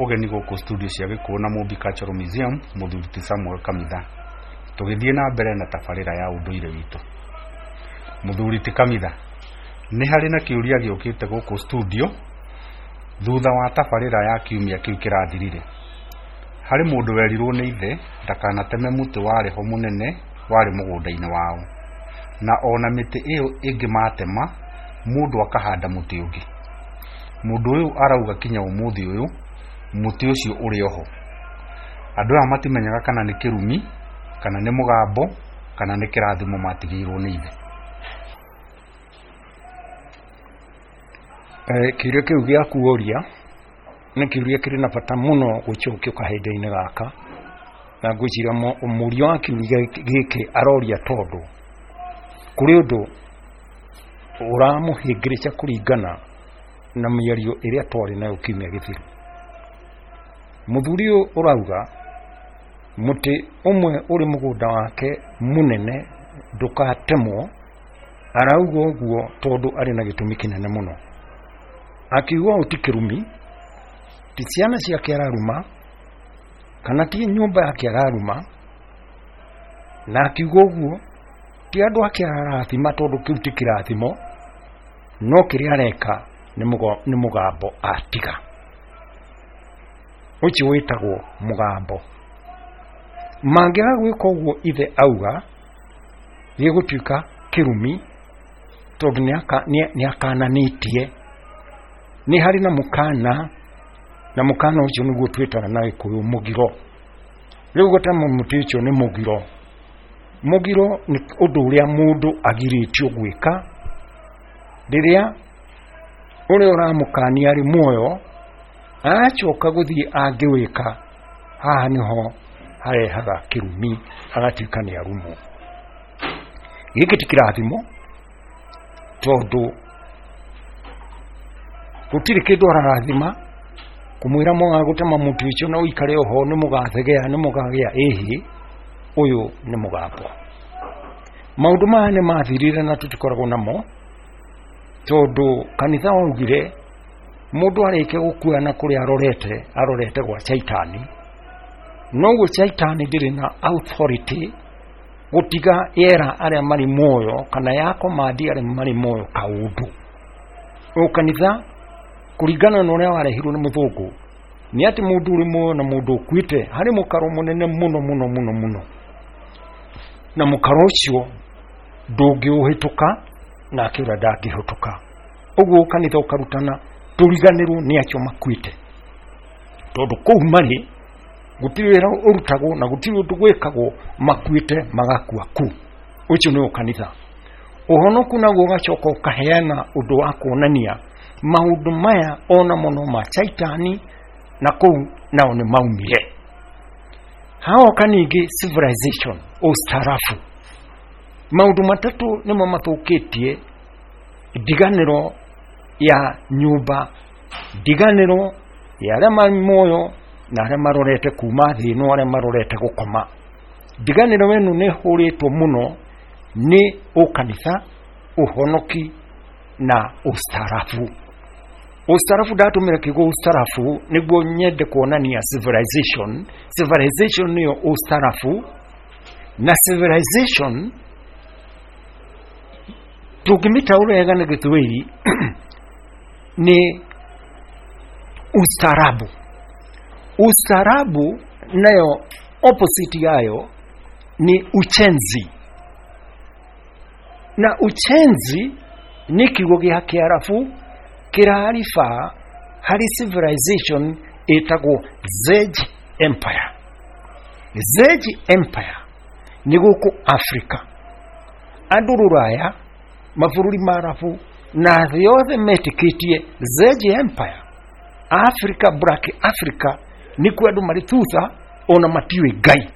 Ũgeni gũkũ studio cia Gĩkũyũ na Mũmbi Cultural Museum, mũthuri ti Samuel Kamitha, tũgĩthiĩ na mbere na tabarĩra ya ũndũire witũ. Mũthuri ti Kamitha, nĩ harĩ na kĩũria gĩũkĩte gũkũ studio thutha wa tabarĩra ya kiumia kĩu kĩrathirire. Harĩ mũndũ werirwo nĩ ithe ndakanateme mũtĩ warĩ ho mũnene warĩ mũgũnda-inĩ wao, na ona mĩtĩ ĩyo ĩngĩ matema, mũndũ akahanda mũtĩ ũngĩ. Mũndũ ũyũ arauga kinya ũmũthĩ ũyũ mũtĩ ũcio ũrĩ oho. Andũ aya matimenyaga kana nĩ kĩrumi, kana nĩ mũgambo, kana nĩ kĩrathimo matigĩirwo nĩ ithe. Kĩũria kĩu gĩaku woria nĩ kĩũria kĩrĩ na bata mũno gũcokio kahinda-inĩ gaka, na ngwĩciria mũria wa kĩũria gĩkĩ aroria tondũ kũrĩ ũndũ ũramũhĩngĩrĩca kũringana na mĩario ĩrĩa twarĩ nayo kiumia gĩthiru. Mũthuri ũyũ ũrauga mũtĩ ũmwe ũrĩ mũgũnda wake mũnene ndũkatemwo, arauga ũguo tondũ arĩ na gĩtũmi kĩnene mũno. Akiuga ũũ ti kĩrumi, ti ciana ciake araruma, kana ti nyũmba yake araruma, na akiuga ũguo ti andũ ake ararathima tondũ kĩu ti kĩrathimo, no kĩrĩa areka nĩ mũgambo atiga, ũcio wĩtagwo mũgambo. Mangĩaga gwĩka ũguo ithe auga, gĩgũtuĩka kĩrumi tondũ nĩ akananĩtie, nĩ harĩ na mũkana, na mũkana ũcio nĩguo twĩtaga na Gĩkũyũ mũgiro. Rĩu gũtema mũtĩ ũcio nĩ mũgiro. Mũgiro nĩ ũndũ ũrĩa mũndũ agirĩtio gwĩka rĩrĩa ũrĩa ũramũkania arĩ muoyo, acoka gũthiĩ angĩwĩka, haha nĩho harehaga kĩrumi, agatuĩka nĩ arumwo. Gĩkĩ ti kĩrathimo tondũ gũtirĩ kĩndũ ararathima kũmwĩra mwaga gũtema mũtĩ ũcio na ũikare oho nĩ mũgathegea nĩ mũkagĩa ĩhĩ, ũyũ nĩ mũgambo. Maũndũ maya nĩ mathirire na tũtikoragwo namo tondũ kanitha waugire mũndũ arĩkia gũkua na kũrĩa arorete, arorete gwa caitani, noguo caitani ndĩrĩ na authority gũtiga yera arĩa marĩ muoyo kana ya command arĩa marĩ muoyo kaũndũ. O kanitha kũringana na ũrĩa warehirwo nĩ mũthũngũ nĩ atĩ mũndũ ũrĩ muoyo na mũndũ ũkuĩte harĩ mũkaro mũnene mũno mũno mũno mũno, na mũkaro ũcio ndũngĩũhĩtũka nake ũrĩa ndangĩhĩtũka. Ũguo kanitha ũkarutana tũriganĩrwo nĩ acio makuĩte, tondũ kũu marĩ gũtirĩ wĩra ũrutagwo na gũtirĩ ũndũ gwĩkagwo, makuĩte magakua kũu. Ũcio nĩ kanitha. Ũhonoku naguo ũgacoka ũkaheana ũndũ wa kuonania maũndũ maya ona mũno ma caitani na kũu nao nĩ maumire. Haoka ningĩ civilization, ũstaarabu. Maũndũ matatũ nĩmo mathũkĩtie ndiganĩro ya nyũmba, ndiganĩro ya arĩa marĩ muoyo na arĩa marorete kuma thĩ ĩno, arĩa marorete gũkoma. Ndiganĩro ĩno nĩ ĩhũrĩtwo mũno nĩ ũkanitha, ũhonoki na ũstaarabu. Ũstaarabu, ndatũmĩra kiugo ũstaarabu nĩguo nyende kuonania civilization. Civilization nĩyo ũstaarabu, na civilization tũngĩmĩtaũra wega na Gĩthweri nĩ ustaarabu. Ustaarabu nayo opposite yayo ni uchenzi, na uchenzi nĩ kiugo gĩa Kĩarabu kĩrariba harĩ civilization ĩtagwo Zej Empire. Zej Empire nĩ gũkũ Afrika, andũ rũraya, mabũrũri ma Arabu na thĩ yothe metĩkĩtie Zej Empire. Africa, Black Africa nĩkuo andũ marĩ thutha ona matiũĩ Ngai,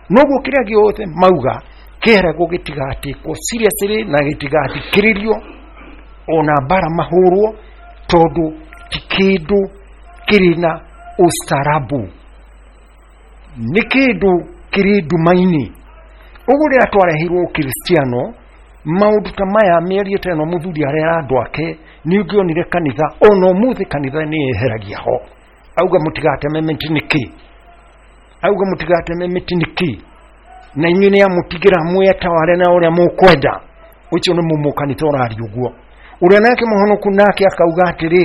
noguo kĩrĩa gĩothe mauga kĩeragwo gĩtigatĩkwo seriously na gĩtigathikĩrĩrio ona mbara mahũrwo, tondũ ti kĩndũ kĩrĩ na ũstaarabu, nĩ kĩndũ kĩrĩ nduma-inĩ. Ũguo rĩrĩa twareheirwo ũkristiano maũndũ ta maya, mĩario ta ĩno mũthuri arera andũ ake, nĩ ũngĩonire kanitha ona ũmũthĩ kanitha nĩ yeheragia ho. Auga mũtigateme mĩtĩ nĩkĩ? Auga mũtigateme mĩtĩ nĩkĩ? Na inyuĩ nĩ amũtigĩra mwĩtaware na ũrĩa mũkwenda. Ũcio nĩ mũmũkanitha ũraria ũguo. Ũrĩa nake mũhonoku nake akauga atĩrĩ,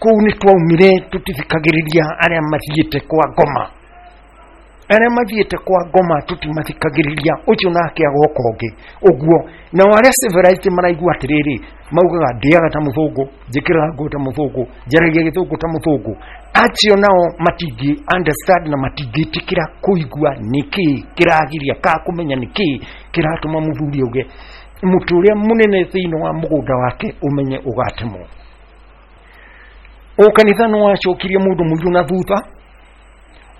kũu nĩ twaumire tũtithikagĩrĩria arĩa mathiĩte kwa ngoma, arĩa mathiĩte kwa ngoma tũtimathikagĩrĩria. Ũcio nake agoka ũngĩ ũguo. Nao arĩa civilized maraigua atĩrĩrĩ, maugaga ndĩaga ta mũthũngũ, njĩkĩraga nguo ta mũthũngũ, njaragia gĩthũngũ ta mũthũngũ. Acio nao matingĩ understand na matingĩtĩkĩra kũigua nĩkĩ kĩragiria, ka kũmenya nĩkĩ kĩratũma mũthuri auge mũtĩ ũrĩa mũnene thĩinĩ wa mũgũnda wake ũmenye ũgatemwo. Ũkanitha nĩ wacokirie mũndũ mũirũ na thutha,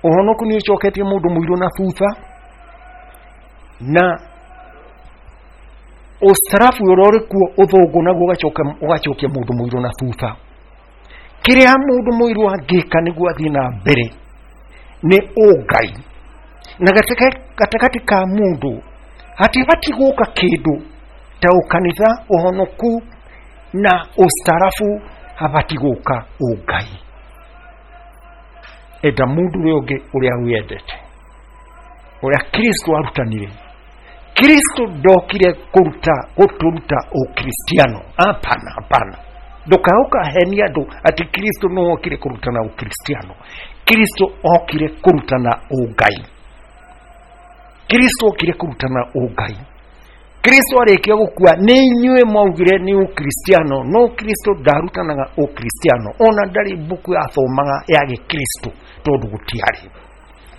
ũhonoku nĩ ũcoketie mũndũ mũirũ na thutha, na ũcarabu ũrĩa ũrĩ kuo ũthũngũ naguo ũgacokia mũndũ mũirũ na thutha. Kĩrĩa mũndũ mũirũ angĩka nĩguo athiĩ na mbere nĩ ũngai, na gatagatĩ ka mũndũ hatibatiĩ gũka kĩndũ ta ũkanitha, ũhonoku na ũcarabu, habatiĩ gũka ũngai. Enda mũndũ ũrĩa ũngĩ ũrĩa wendete, ũrĩa Kristo arutanire. Kristo ndokire kũruta gũtũruta ũkristiano. Hapana, hapana. Ndũkaũka henia andũ atĩ Kristo no okire kũrutana ũkristiano. Kristo okire kũrutana ũngai. Kristo okire kũrutana ũngai. Kristo arĩkia gũkua nĩ inyuĩ mwaugire nĩ ũkristiano, no Kristo ndarutanaga ũkristiano, ona ndarĩ mbuku yathomaga ya gĩkristo tondũ gũtiarĩ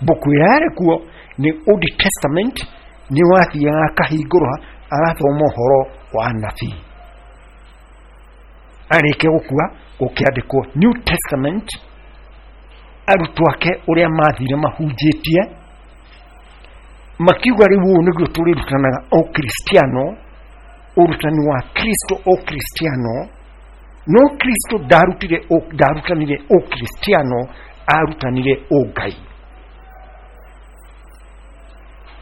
mbuku ĩrĩa yarĩ kuo nĩ Old Testament. Nĩ wathiaga akahingũra agathoma ũhoro wa nabii. Arĩkia gũkua gũkĩandĩkwo New Testament, arutwo ake ũrĩa mathire mahunjĩtie makiuga rĩu ũũ nĩguo tũrĩrutanaga ũkristiano, ũrutani wa Kristo ũkristiano. No Kristo ndarutanire ũkristiano, arutanire ũngai.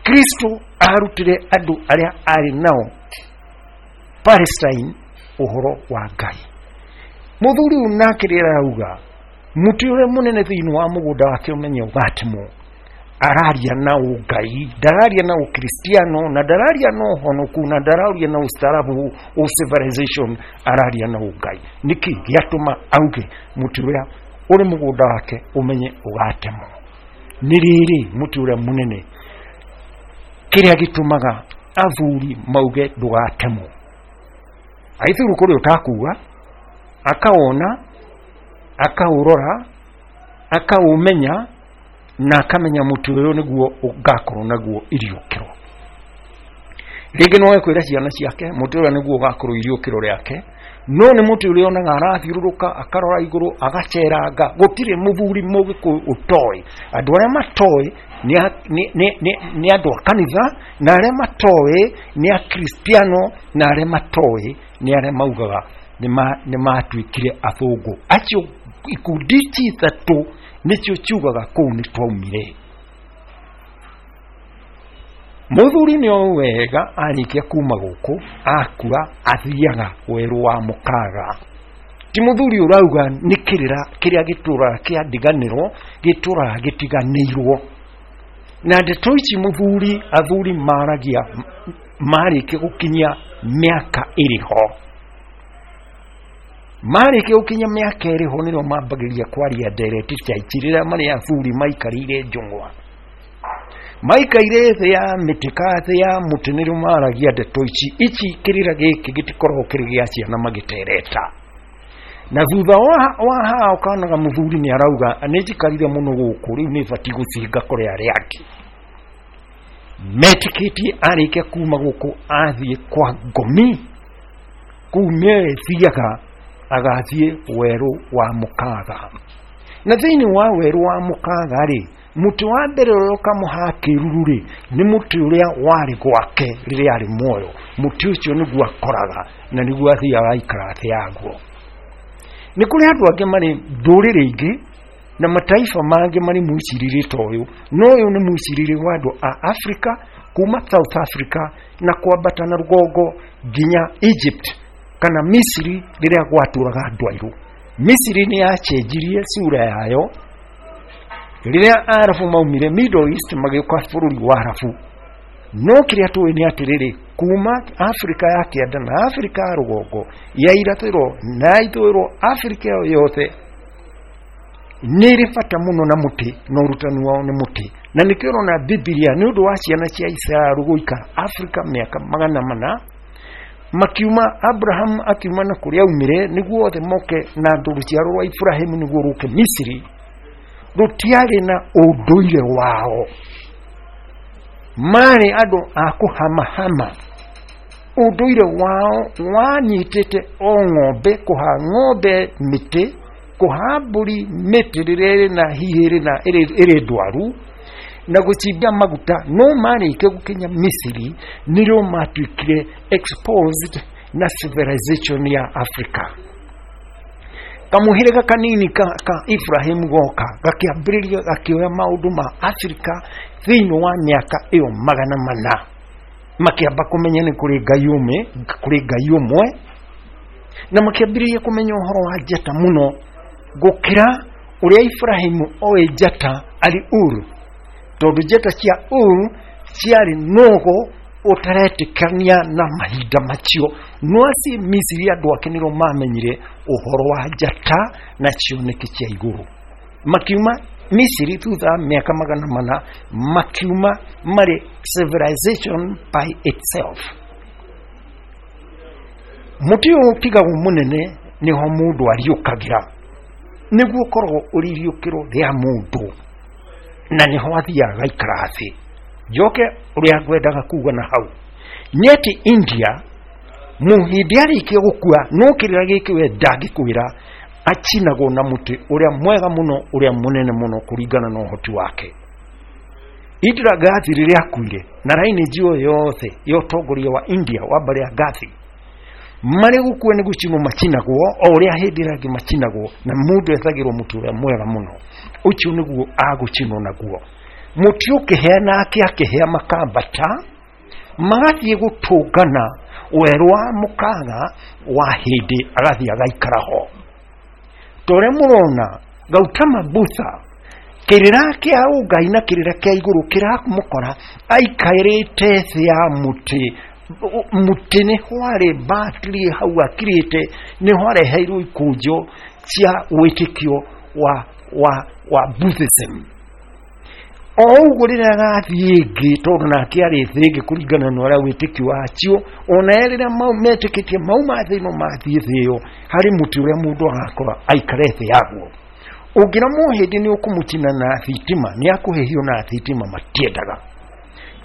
Kristo arutire andũ arĩa arĩ nao Palestine ũhoro wa Ngai. Mũthuri ũyũ nake rĩrĩa arauga mũtĩ ũrĩa mũnene thĩinĩ wa mũgũnda wake ũmenye ũgatemwo, araria na ũngai, ndararia na ũkristiano, na ndararia na ũhonoku, na ndararia na ũstaarabu, civilization, araria na ũngai. Nĩkĩ gĩatũma auge mũtĩ ũrĩa ũrĩ mũgũnda wake ũmenye ũgatemwo? Nĩ rĩrĩ mũtĩ ũrĩa mũnene, kĩrĩa gĩtũmaga athuri mauge ndũgatemwo, aithuru kũrĩ ũtakuga, akawona, akaũrora, akaũmenya, na akamenya mũtĩ ũyũ nĩguo ũgakorwo naguo iriũkĩro. Rĩngĩ no ekwĩra ciana ciake mũtĩ ũrĩa nĩguo ũgakorwo iriũkĩro rĩake, no nĩ mũtĩ ũrĩa onaga arathiũrũrũka, akarora igũrũ, agaceranga. Gũtirĩ mũthuri mũgĩkũyũ ũtoĩ. Andũ arĩa matoĩ nĩ andũ a kanitha, na arĩa matoĩ nĩ akristiano, na arĩa matoĩ nĩ arĩa maugaga nĩ matuĩkire athũngũ. Acio ikundi ici ithatũ nĩcio ciugaga kũu nĩ twaumire. Mũthuri nĩ oĩ wega arĩkia kuma gũkũ akua athiaga werũ wa mũkaga. Ti mũthuri ũrauga nĩ kĩrĩra kĩrĩa gĩtũraga kĩa ndiganĩro, gĩtũraga gĩtiganĩirwo. Na ndeto ici mũthuri, athuri maragia marĩkia gũkinyia mĩaka ĩrĩ ho. Marĩkia gũkinyia mĩaka ĩrĩ ho nĩrĩo mambagĩrĩria kwaria ndereti cia ici, rĩrĩa marĩ athuri maikarĩire njũng'wa, maikaire thĩ ya mĩtĩ ka thĩ ya mũtĩ, nĩrĩo maragia ndeto ici. Ici kĩrĩra gĩkĩ gĩtikoragwo kĩrĩ gĩa ciana magĩtereta. Na thutha wa haha ũkonaga mũthuri nĩ arauga nĩ njikarire mũno gũkũ, rĩu nĩ batiĩ gũthiĩ ngakore arĩa angĩ. Metĩkĩtie arĩkia kuma gũkũ athiĩ kwa ngomi, kũu nĩwe thiaga agathiĩ werũ wa mũkaga. Na thĩinĩ wa werũ wa mũkaga rĩ, mũtĩ wa mbere ũrĩa ũkamũha kĩruru rĩ, nĩ mũtĩ ũrĩa warĩ gwake rĩrĩa arĩ muoyo. Mũtĩ ũcio nĩguo akoraga na nĩguo athiaga aikara thĩ yaguo. Nĩ kũrĩ andũ angĩ marĩ ndũrĩrĩ ingĩ na mataifa mangĩ marĩ mwĩcirĩrie ta ũyũ, no ũyũ nĩ mwĩcirĩrie wa andũ a Afrika kuma South Africa na kwambata na rũgongo nginya Egypt kana Misiri rĩrĩa gwatũraga andũ airũ. Misiri nĩ yacenjirie sura yayo Rĩrĩa Arabu maumire Middle East magĩũka bũrũri wa Arabu, no kĩrĩa tũĩ nĩ atĩrĩrĩ, kuma Afrika ya kĩanda na Afrika ya rũgongo, ya irathĩro na ya ithũĩro, Afrika ĩyo yothe nĩ ĩrĩ bata mũno na mũtĩ, na ũrutani wao nĩ mũtĩ. Na nĩkĩo ũrona Bibilia nĩ ũndũ wa ciana cia Isiraeli gũikara Afrika mĩaka 400, makiuma Abraham akiuma na kũrĩa aumire nĩguo othe moke na andũ rũciaro rwa Ibrahimu nĩguo rũke Misiri, rũtiarĩ na ũndũire wao, marĩ andũ a kũhamahama. Ũndũire wao wanyitĩte o ng'ombe, kũha ng'ombe mĩtĩ, kũha mbũri mĩtĩ rĩrĩa ĩrĩ na hihi ĩrĩ na ĩrĩ ndwaru, na gũcimbia maguta. No marĩkia gũkinya Misiri nĩrĩo matuĩkire exposed na civilization ya Africa. Kamũhĩrĩga kanini ka Ibrahim goka gakĩambĩrĩria gakĩoya maũndũ ma Afrika thĩinĩ wa mĩaka ĩyo 400, makĩamba kũmenya nĩ kũrĩ Ngai ũmwe, kũrĩ Ngai ũmwe, na makĩambĩrĩria kũmenya ũhoro wa njata mũno gũkĩra ũrĩa Ibrahimu oĩ njata arĩ Ur, tondũ njata cia Ur ciarĩ nũgũ ũtaretĩkania na mahinda macio. No aci Misiri andũ ake nĩrĩo mamenyire ũhoro wa njata na cioneki cia igũrũ. Makiuma Misiri thutha wa mĩaka 400, makiuma marĩ civilization by itself. Mũtĩ ũyũ ũtigagwo mũnene nĩho mũndũ ariũkagĩra, nĩguo ũkoragwo ũrĩ iriũkĩro rĩa mũndũ, na nĩho athiaga agaikara thĩ. Njoke ũrĩa ngwendaga kuga na hau nĩ atĩ India mũhĩndĩ arĩkia gũkua, no kĩrĩra gĩkĩ we ndangĩkwĩra, acinagwo na mũtĩ ũrĩa mwega mũno, ũrĩa mũnene mũno kũringana na ũhoti wake. Indira Gandhi rĩrĩa akuire na lineage ĩyo yothe ya ũtongoria wa India wa mbarĩ ya Gandhi, marĩ gũkua nĩ gũcinwo macinagwo o ũrĩa hĩndĩ ĩrĩa angĩ macinagwo, na mũndũ ethagĩrwo mũtĩ ũrĩa mwega mũno, ũcio nĩguo agũcinwo naguo. Mũtĩ ũkĩhĩa nake akĩhĩa, makambata magathiĩ gũtũngana werũ wa mũkaga wa hĩndĩ, agathiĩ agaikara ho. Ta ũrĩa mũrona Gautama Buddha, kĩrĩra kĩa ũngai na kĩrĩra kĩa igũrũ kĩramũkora aikarĩte thĩ ya mũtĩ. Mũtĩ nĩho arĩ batiri hau akirĩte, nĩho areheirwo ikũnjo cia wĩtĩkio wa Buddhism. O ũguo rĩrĩa agathiĩ ĩngĩ, tondũ nake arĩ thĩ ĩngĩ kũringana na ũrĩa wĩtĩkio wacio, ona rĩrĩa metĩkĩtie mauma thĩ ĩno mathiĩ thĩ ĩyo, harĩ mũtĩ ũrĩa mũndũ agakora aikare thĩ yaguo. Ũngĩra mũhĩndĩ nĩ ũkũmũcina na thitima, nĩ akũhĩhio na thitima, matiendaga,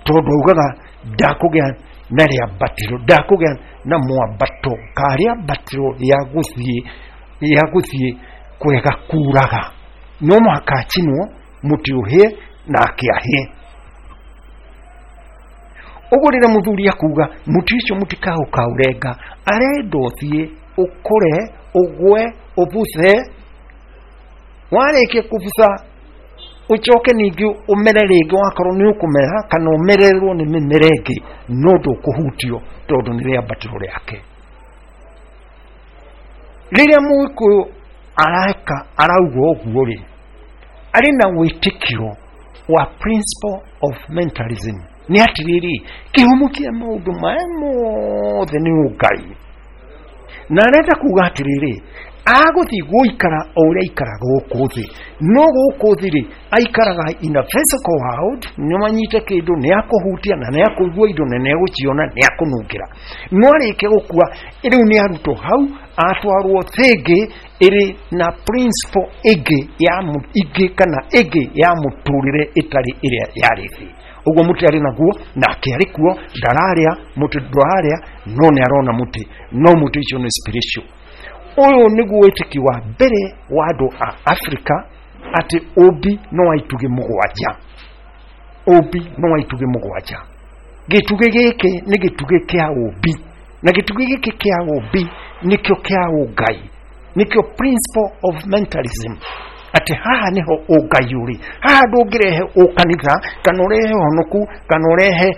tondũ augaga ndakũgĩa na rĩambatĩro, ndakũgĩa na mwambato ka rĩambatĩro ya gũthiĩ kwega kuraga, no mũhaka acinwo mũtĩ ũhĩe nake ahĩe. Ũguo rĩrĩa mũthuri akuga mũtĩ ũcio mũtikaũkaũrenga, arenda ũthiĩ ũkũre, ũgwe, ũbuthe, warĩkia kũbutha ũcoke ningĩ ũmere rĩngĩ, wakorwo nĩ ũkũmera kana ũmererwo nĩ mĩmera ĩngĩ, no ndũkũhutio tondũ nĩ rĩambatĩro rĩake. Rĩrĩa Mũgĩkũyũ areka arauga ũguo rĩ, arĩ na wĩtĩkio wa principle of mentalism, nĩ atĩrĩrĩ, kĩhumo kĩa maũndũ maya mothe nĩ ũngai, na arenda kuga atĩrĩrĩ, agũthiĩ gũikara o ũrĩa aikaraga gũkũ thĩ, no gũkũ thĩ rĩ aikaraga in a physical world, nĩ manyite kĩndũ, nĩ akũhutia na nĩ akũigua indo na nĩ agũciona, nĩ akũnungĩra. No arĩkia gũkua rĩu nĩ arutwo hau, atwarwo thĩ ĩngĩ ĩrĩ na principle ĩngĩ ya ĩngĩ kana ĩngĩ ya mũtũrĩre ĩtarĩ ĩrĩa yarĩ thĩ. Ũguo mũtĩ arĩ naguo nake arĩ kuo, ndararĩa mũtĩ, ndwararĩa, no nĩ arona mũtĩ, no mũtĩ ũcio nĩ spiritual. Ũyũ nĩguo wĩtĩkio wa mbere wa andũ a Afrika, atĩ ũmbi no wa itugĩ mũgwanja, ũmbi no wa itugĩ mũgwanja. Gĩtugĩ gĩkĩ nĩ gĩtugĩ kĩa ũmbi, na gĩtugĩ gĩkĩ kĩa ũmbi nĩkĩo kĩa ũngai, nĩkĩo principle of mentalism, atĩ haha nĩho ũngai ũrĩ. Haha ndũngĩrehe ũkanitha kana ũrehe ũhonoku kana ũrehe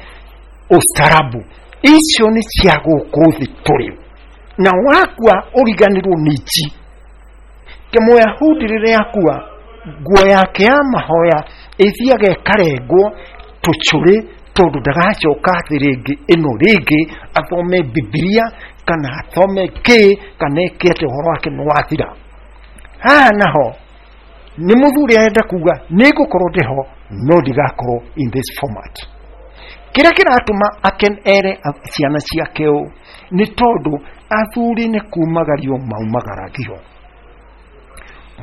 ũstarabu, icio nĩ cia gũkũ thĩ tũrĩ, na wakua ũriganĩrwo nĩ ici. Kĩmũyahudi rĩrĩa akua Nguo yake ya mahoya ĩthiaga ĩkarengwo tũcũrĩ, tondũ ndagacoka thĩ rĩngĩ ĩno rĩngĩ athome Bibilia kana athome kĩ kana ĩke atĩ, ũhoro wake nĩ wathira. Haha naho nĩ mũthuri arenda kuga nĩ ngũkorwo ndĩho, no ndigakorwo in this format. Kĩrĩa kĩratũma aken ere ciana ciake ũũ nĩ tondũ athuri nĩ kumagario maumagaragio.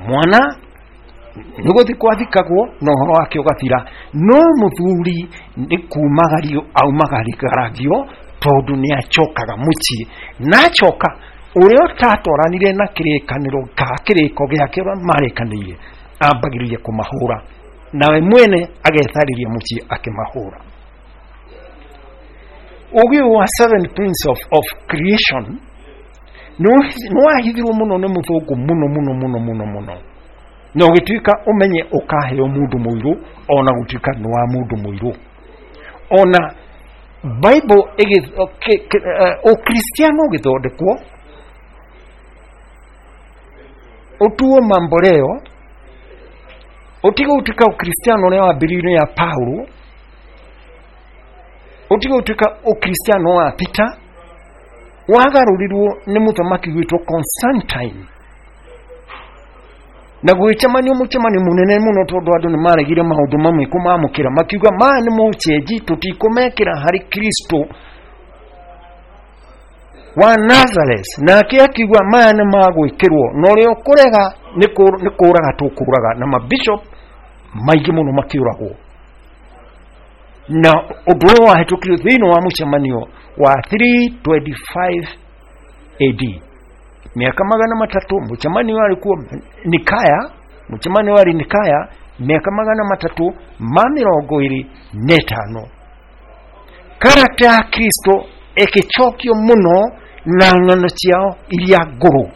Mwana nĩ gũthikwo athikagwo na ũhoro wake ũgathira, no mũthuri nĩ kumagario aumagaragio, tondũ nĩ acokaga mũciĩ, na acoka ũrĩa ũtatwaranire na kĩrĩkanĩro ka kĩrĩko gĩake ũrĩa marĩkanĩire ambagĩrĩria kũmahũra, nawe mwene agetharĩria mũciĩ akĩmahũra. Ũgĩ wa seven prince of creation nĩ wahithirwo mũno nĩ mũthũngũ mũno mũno mũno mũno mũno, na ũgĩtuĩka ũmenye ũkaheo mũndũ mũirũ, ona gũtuĩka nĩ wa mũndũ mũirũ. Ona Bible ũkristiano ũgĩthondekwo ũtuo mamboleo, ũtige gũtuĩka ũkristiano ũrĩa wambĩrĩirio ya Paulo, ũtige gũtuĩka ũkristiano wa Peter, wagarũrirwo nĩ mũthamaki gwĩtwo Constantine, na gwĩcemanio mũcemanio mũnene mũno, tondũ andũ nĩ maregire maũndũ mamwe kũmamũkĩra, makiuga maya nĩ mũcenji, tũtikũmekĩra harĩ Kristo wa Nazareth. Nake akiuga maya nĩ magwĩkĩrwo, na ũrĩa ũkũrega nĩ kũraga tũkũraga, na mabishop maingĩ mũno makĩũragwo. Na ũndũ ũyũ wahĩtũkirio thĩinĩ wa mũcemanio wa 325 AD, mĩaka 300. Mũcemanio warĩ kuo Nikaya, mũcemanio warĩ Nikaya mĩaka 325. Karakta ya Kristo ĩgĩcokio mũno na ng'ano ciao iria ngũrũ.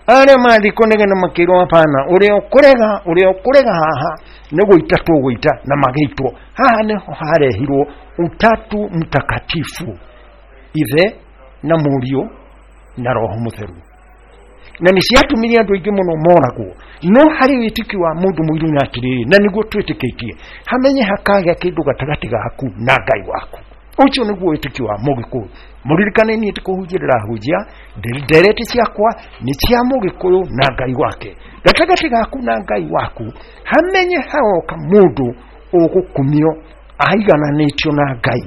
Arĩa mathiĩ kũnegena makĩrwo hapana, ũrĩa ũkũrega, ũrĩa ũkũrega haha nĩ gũita tũgũita, na magĩitwo. Haha nĩho harehirwo utatu mtakatifu, ithe na mũriũ na Roho Mũtheru, na nĩ ciatũmire andũ aingĩ mũno moragwo. No harĩ wĩtĩkio wa mũndũ mũirũ nĩ atĩrĩrĩ, na nĩguo twĩtĩkĩtie, hamenye hakagĩa kĩndũ gatagatĩ gaku na Ngai waku. Ũcio nĩguo wĩtĩkio wa mũgĩkũyũ. Mũririkane niĩ ti kũhunjia ndĩrahunjia, ndereti ciakwa nĩ cia mũgĩkũyũ na Ngai wake. Gatagatĩ gaku na Ngai waku hamenye haroka mũndũ ũgũkumio aigananĩtio na Ngai.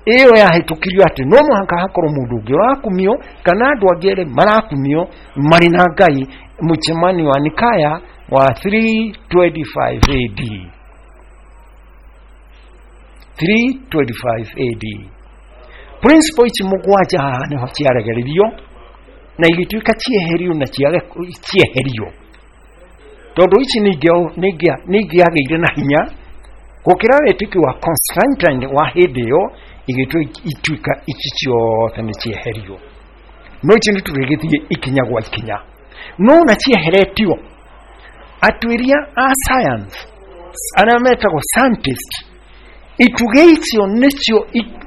Ĩyo yahĩtũkirio atĩ no mũhaka hakorwo mũndũ ũngĩ ũrakumio kana andũ angĩ erĩ marakumio marĩ na Ngai, mũcemanio wa Nikaya wa 325 AD. 325 AD. Principle ici mũgwanja haha nĩho ciaregererio na igĩtuĩka cieherio, na cieherio tondũ ici nĩ ingĩagĩire na hinya gũkĩra wĩtĩkio wa Constantine wa hĩndĩ ĩyo, igĩtua ituĩka ici ciothe nĩ cieherio. No ici nĩ tũrĩgĩthiĩ ikinya gwa ikinya. No na cieheretio, atuĩria a science arĩa metagwo scientist, itugĩ icio nĩcio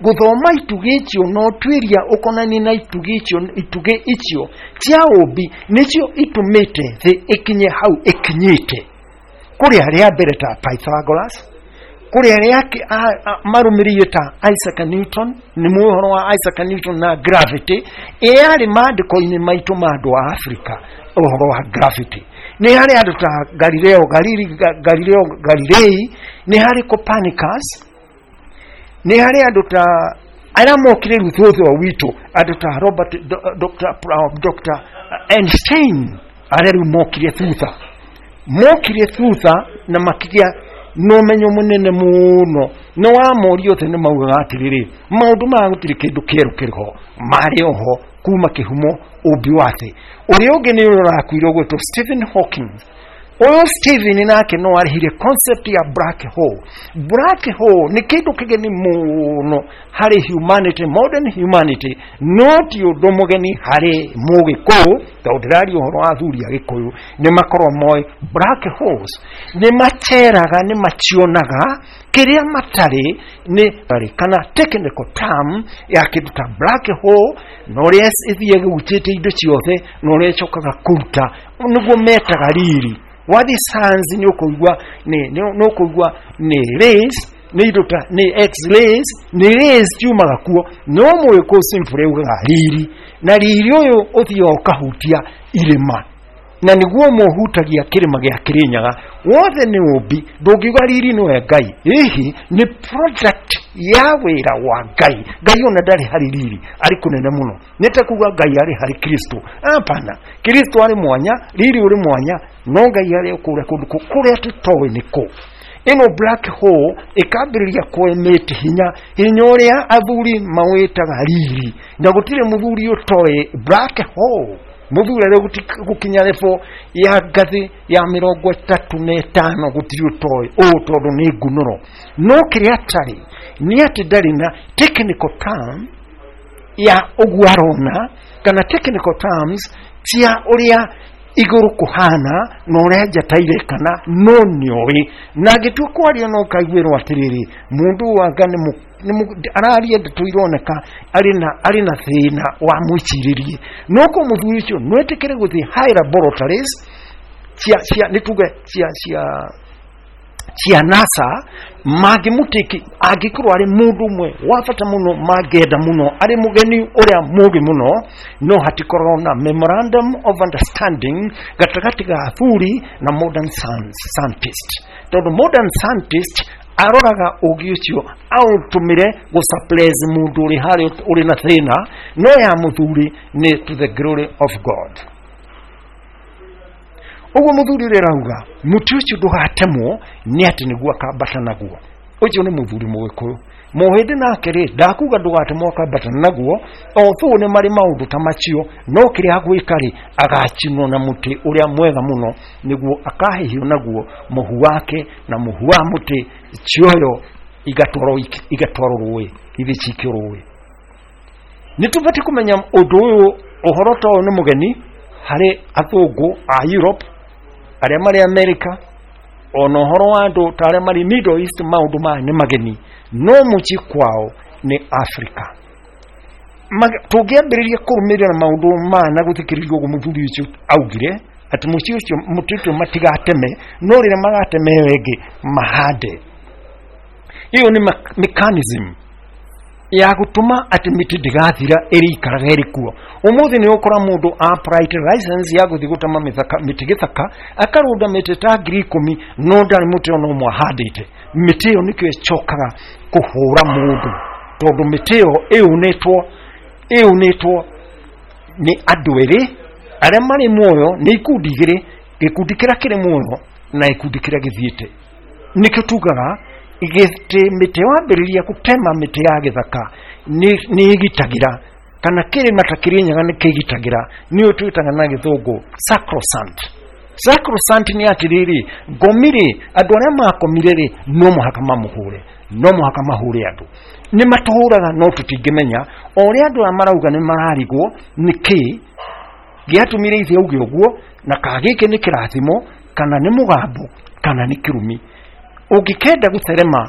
gũthoma itugĩ icio na ũtuĩria ũkonainie na itugĩ icio, itugĩ icio cia ũmbi nĩcio itũmĩte thĩ ĩkinye hau ĩkinyĩte. Kũrĩ arĩa mbere ta Pythagoras, kũrĩ arĩa marũmĩrĩire ta Isaac Newton. Nĩ mũĩ ũhoro wa Isaac Newton na gravity ĩyarĩ maandĩko-inĩ maitũ ma andũ a Afrika. Ũhoro wa gravity nĩ harĩ andũ ta Galileo Galilei, Galileo Galilei, nĩ harĩ Copernicus, nĩ harĩ andũ ta arĩa mokire rĩu thutha witũ, andũ ta Robert Dr. Einstein, arĩa rĩu mokire thutha, mokire thutha na makĩgĩa na ũmenyo mũnene mũno. No wamoria othe nĩ maugaga atĩrĩrĩ, maũndũ maya gũtirĩ kĩndũ kĩerũ kĩrĩ ho, marĩ oho kuma kĩhumo ũmbi wa thĩ. Ũrĩa ũngĩ nĩ ũrĩa ũrakuire ũgwĩtwo Stephen Hawking. Ũyũ Stephen nake no arehire concept ya black hole. Black hole nĩ kĩndũ kĩgeni mũno harĩ humanity, modern humanity, no ti ũndũ mũgeni harĩ mũgĩkũyũ, tondũ ndĩraria ũhoro wa athuri a gĩkũyũ, nĩ makorwo moĩ black holes nĩ maceraga, nĩ macionaga kĩrĩa matarĩ, nĩ kana technical term ya kĩndũ ta black hole, na ũrĩa ĩthiaga ĩgucĩtie indo ciothe na ũrĩa ĩcokaga kũruta, nĩguo metaga riri. Wathiĩ science nĩ ũkũigua nĩ ũkũigua nĩ rays, nĩ indo ta nĩ x-rays, nĩ rays ciumaga kuo. No mũgĩkũyũ simply augaga riri, na riri ũyũ ũthiaga ũkahutia irĩma, na nĩguo mũhutagia kĩrĩma gĩa Kĩrĩnyaga. Wothe nĩ ũmbi, ndũngiuga riri nĩwe Ngai. Hihi nĩ product ya wĩra wa Ngai. Ngai ona ndarĩ harĩ riri, arĩ kũnene mũno. Nĩ ta kuga Ngai arĩ harĩ Kristo. Hapana, Kristo arĩ mwanya, riri ũrĩ mwanya, no Ngai arĩ kũrĩa kũndũ kũrĩa tũtoĩ nĩ kũ. Ĩno black hole ĩkambĩrĩria kũemit hinya, hinya ũrĩa athuri mawĩtaga riri, na gũtirĩ mũthuri ũtoĩ black hole. Mũthuri arĩa gũkinya level ya ngathĩ ya 35 gũtirĩ ũtoĩ ũũ, tondũ nĩ ngunũro. No kĩrĩa atarĩ nĩ atĩ ndarĩ na technical term ya ũguo arona, kana technical terms cia ũrĩa igũrũ kũhana na ũrĩa njata irekana, no nĩoĩ. Na angĩtua kwaria no kaiguĩrwo atĩrĩrĩ, mũndũ wanga araria ndeto ironeka arĩ na thĩna wa mwĩcirĩrie. No ko mũthuri ũcio no etĩkĩre gũthiĩ high laboratories cia nĩ tuge cia NASA, mangĩmũtĩki angĩkorwo arĩ mũndũ ũmwe wa bata mũno mangĩenda mũno, arĩ mũgeni ũrĩa mũgĩ mũno, no hatikorwo na memorandum of understanding gatagatĩ ga athuri na modern scientist, tondũ modern scientist aroraga ũgĩ ũcio aũtũmĩre gũ suppress mũndũ ũrĩ harĩa ũrĩ na thĩna, no ya mũthuri nĩ to the glory of God. Ũguo mũthuri ũrĩa arauga mũtĩ ũcio ndũgatemwo nĩ atĩ nĩguo akambata naguo. Ũcio nĩ mũthuri mũgĩkũyũ. Mũhĩndĩ nake rĩ, ndakuga ndũgatemwo akambata naguo, although nĩ marĩ maũndũ ta macio, no kĩrĩa agwĩka rĩ, agacinwo na mũtĩ ũrĩa mwega mũno, nĩguo akahĩhio naguo mũhu wake na mũhu wa mũtĩ cioyo igatwarwo rũĩ, ithiĩ cikio rũĩ. Nĩ tũbatiĩ kũmenya ũndũ ũyũ. Ũhoro ta ũyũ nĩ mũgeni harĩ athũngũ a Europe, arĩa marĩ America, ona ũhoro wa andũ ta arĩa marĩ Middle East, maũndũ maya nĩ mageni, no mũciĩ kwao nĩ Africa. Tũngĩambĩrĩria kũrũmĩrĩra maũndũ maya na gũthikĩrĩria ũguo mũthuri ũcio augire atĩ mũciĩ ũcio mũtĩ ũcio matigateme, no rĩrĩa magateme ĩyo ĩngĩ mahande. Ĩyo nĩ mechanism ya gũtũma atĩ mĩtĩ ndĩgathira, ĩrĩikaraga ĩrĩ kuo. Ũmũthĩ nĩ ũkora mũndũ applied license ya gũthiĩ gũtema mĩtĩ gĩthaka, akarũnda mĩtĩ ta 10,000, no ndarĩ mũtĩ ona ũmwe ahandĩte. Mĩtĩ ĩyo nĩkĩo ĩcokaga kũhũra mũndũ, tondũ mĩtĩ ĩyo ĩũnĩtwo nĩ andũ erĩ arĩa marĩ muoyo, nĩ ikundi igĩrĩ, gĩkundi kĩrĩa kĩrĩ muoyo na gĩkundi kĩrĩa gĩthiĩte. Nĩkĩo tugaga gĩtĩ mĩtĩ wambĩrĩria gũtema mĩtĩ ya gĩthaka nĩ ĩgitagĩra, kana kĩrĩma ta Kĩrĩnyaga nĩ kĩgitagĩra, nĩyo twĩtaga na gĩthũngũ sacrosanct. Sacrosanct nĩ atĩrĩrĩ, ngomi rĩ, andũ arĩa makomire rĩ, no mũhaka mamũhũre, no mũhaka mahũre andũ. Nĩ matũhũraga no tũtingĩmenya. O ũrĩa andũ aya marauga nĩ mararigwo nĩ kĩ gĩatũmire ithe auge ũguo, na kana gĩkĩ nĩ kĩrathimo, kana nĩ mũgambo, kana nĩ kĩrumi. Ũngĩkenda gũtherema,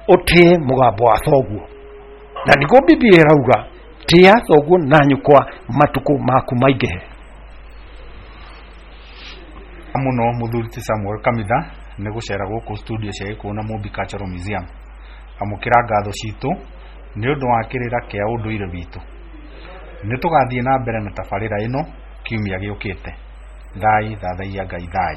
ũtĩe mũgambo wa thoguo, na nĩguo Biblia ĩrauga, tĩa thoguo na nyũkwa matukũ maku maingĩhe. Mũno mũthuri ti Samuel Kamitha nĩ gũcera gũkũ studio cia Gĩkũyũ na Mũmbi Cultural Museum. Amũkĩra ngatho citũ nĩ ũndũ wa kĩrĩra kĩa ũndũire witũ. Nĩ tũgathiĩ na mbere na tabarĩra ĩno kiumia gĩũkĩte. Thai thathaiya Ngai thai.